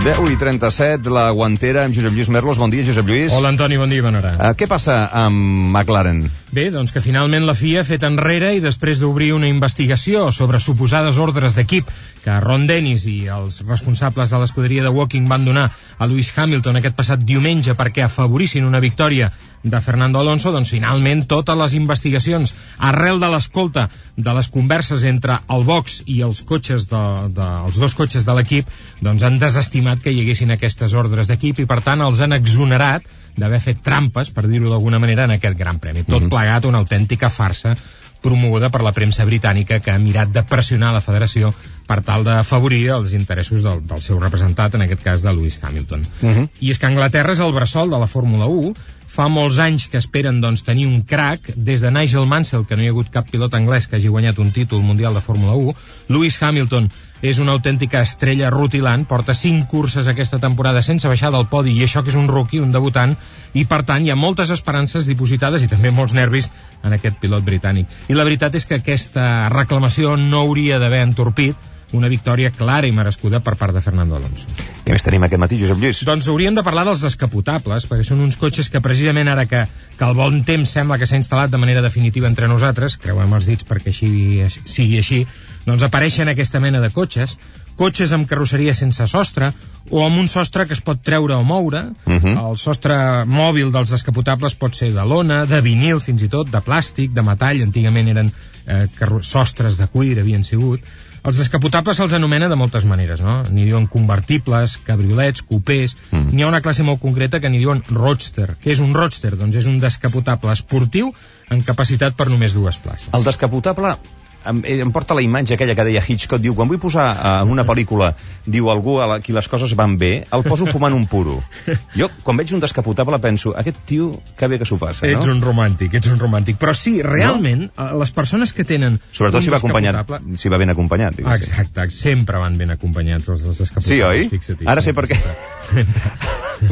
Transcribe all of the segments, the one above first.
10:37, la guantera amb Josep Lluís Merlos. Bon dia, Josep Lluís. Hola, Antoni, bon dia, bona hora. Què passa amb McLaren? Bé, doncs que finalment la FIA ha fet enrere i després d'obrir una investigació sobre suposades ordres d'equip que Ron Dennis i els responsables de l'escuderia de Woking van donar a Lewis Hamilton aquest passat diumenge perquè afavorissin una victòria de Fernando Alonso, doncs finalment totes les investigacions arrel de l'escolta de les converses entre el box i els cotxes els dos cotxes de l'equip, doncs han desestimat que hi haguessin aquestes ordres d'equip i per tant els han exonerat d'haver fet trampes, per dir-ho d'alguna manera, en aquest gran premi. Tot plegat una autèntica farsa promoguda per la premsa britànica que ha mirat de pressionar la federació per tal d'afavorir els interessos del seu representat, en aquest cas de Lewis Hamilton. I és que Anglaterra és el bressol de la Fórmula 1. Fa molts anys que esperen doncs, tenir un crack, des de Nigel Mansell, que no hi ha hagut cap pilot anglès que hagi guanyat un títol mundial de Fórmula 1. Lewis Hamilton és una autèntica estrella rutilant, porta 5 curses aquesta temporada sense baixar del podi, i això que és un rookie, un debutant, i per tant hi ha moltes esperances dipositades i també molts nervis en aquest pilot britànic. I la veritat és que aquesta reclamació no hauria d'haver entorpit una victòria clara i merescuda per part de Fernando Alonso. Què més tenim aquest matí, Josep Lluís? Doncs hauríem de parlar dels descapotables, perquè són uns cotxes que precisament ara que el bon temps sembla que s'ha instal·lat de manera definitiva entre nosaltres, creuem els dits perquè sigui així, doncs apareixen aquesta mena de cotxes amb carrosseria sense sostre o amb un sostre que es pot treure o moure. El sostre mòbil dels descapotables pot ser de lona, de vinil fins i tot, de plàstic, de metall. Antigament eren sostres de cuir, havien sigut. Els descapotables se'ls anomena de moltes maneres, no? N'hi diuen convertibles, cabriolets, cupés. N'hi ha una classe molt concreta que n'hi diuen roadster. Què és un roadster? Doncs és un descapotable esportiu amb capacitat per només 2 places. El descapotable em porta la imatge aquella que deia Hitchcock, diu, quan vull posar en una pel·lícula, diu algú a qui les coses van bé, el poso fumant un puro. Jo, quan veig un descapotable, penso, aquest tio, que bé que s'ho passa, no? Ets un romàntic. Però sí, realment, les persones que tenen sobretot si va ben acompanyat, diguéssim. Exacte, sempre van ben acompanyats els descapotables. Sí, oi? Fixa-t'hi. Ara sé per què.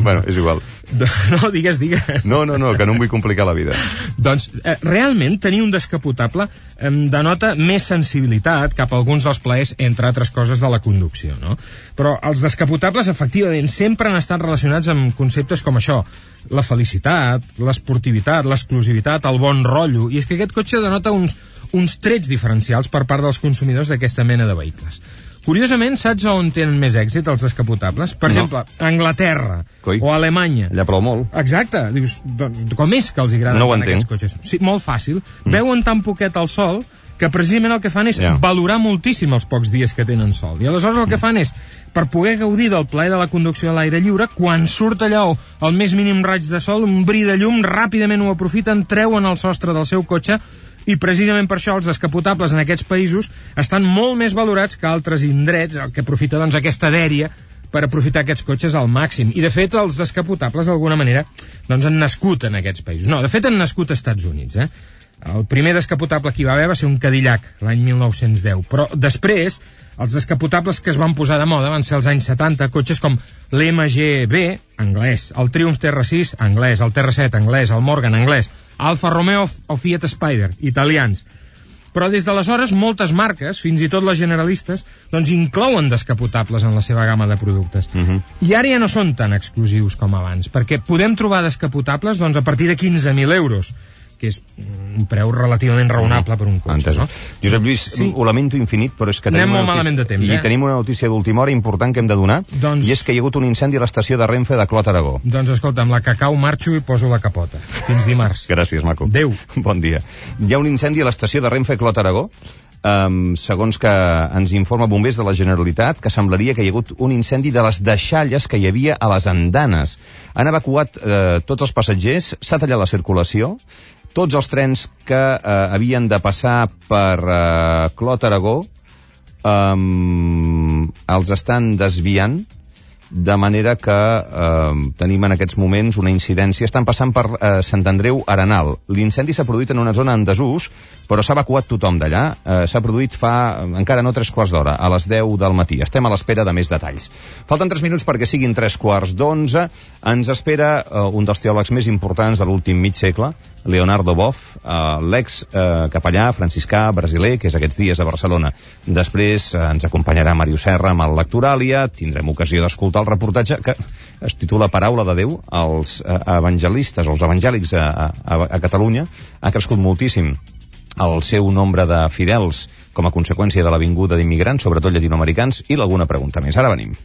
Bueno, és igual. No, digues. No, que no em vull complicar la vida. Doncs, realment, tenir un descapotable denota més sensibilitat cap a alguns dels plaers, entre altres coses, de la conducció, no? Però els descapotables, efectivament, sempre han estat relacionats amb conceptes com això: la felicitat, l'esportivitat, l'exclusivitat, el bon rotllo, i és que aquest cotxe denota uns trets diferencials per part dels consumidors d'aquesta mena de vehicles. Curiosament, saps on tenen més èxit els descapotables? Per exemple, Anglaterra o Alemanya. Allà plou molt. Exacte. Dius, doncs, com és que els agraden aquests cotxes? Sí, molt fàcil. Veuen tan poquet el sol que precisament el que fan és valorar moltíssim els pocs dies que tenen sol. I aleshores el que fan és, per poder gaudir del plaer de la conducció a l'aire lliure, quan surt allò el més mínim raig de sol, un bri de llum, ràpidament ho aprofiten, treuen el sostre del seu cotxe, i precisament per això els descapotables en aquests països estan molt més valorats que altres indrets, el que aprofita doncs aquesta dèria per aprofitar aquests cotxes al màxim. I de fet els descapotables d'alguna manera doncs han nascut en aquests països. No, de fet han nascut als Estats Units, El primer descapotable que hi va haver va ser un Cadillac, l'any 1910, però després els descapotables que es van posar de moda van ser als anys 70, cotxes com l'MGB, anglès, el Triumph TR6, anglès, el TR7, anglès, el Morgan, anglès, Alfa Romeo o Fiat Spider, italians. Però des d'aleshores moltes marques, fins i tot les generalistes, doncs inclouen descapotables en la seva gamma de productes. I ara ja no són tan exclusius com abans, perquè podem trobar descapotables doncs, a partir de 15.000 euros, que és un preu relativament raonable per un cotxe, no? Josep Lluís, ho lamento infinit, però és que anem molt malament de temps, tenim una notícia d'última hora important que hem de donar, i és que hi ha hagut un incendi a l'estació de Renfe de Clot, Aragó. Doncs escolta, amb la cacau marxo i poso la capota. Fins dimarts. Gràcies, maco. Adéu. Bon dia. Hi ha un incendi a l'estació de Renfe Clot, Aragó, segons que ens informa bombers de la Generalitat, que semblaria que hi ha hagut un incendi de les deixalles que hi havia a les andanes. Han evacuat tots els passatgers, s'ha tallat la circulació, tots els trens que havien de passar per Clot, Aragó els estan desviant, de manera que tenim en aquests moments una incidència. Estan passant per Sant Andreu Arenal. L'incendi s'ha produït en una zona en desús, però s'ha evacuat tothom d'allà. S'ha produït fa encara no 3 quarts d'hora, a les 10 del matí. Estem a l'espera de més detalls. Falten 3 minuts perquè siguin 11:15. Ens espera un dels teòlegs més importants de l'últim mig segle, Leonardo Boff, l'ex capellà franciscà brasiler, que és aquests dies a Barcelona. Després ens acompanyarà Màrius Serra amb el Lectoràlia, tindrem ocasió d'escoltar escoltar el reportatge que es titula Paraula de Déu. Els evangelistes, els evangèlics a Catalunya ha crescut moltíssim el seu nombre de fidels com a conseqüència de la vinguda d'immigrants, sobretot llatinoamericans, i alguna pregunta més. Ara venim.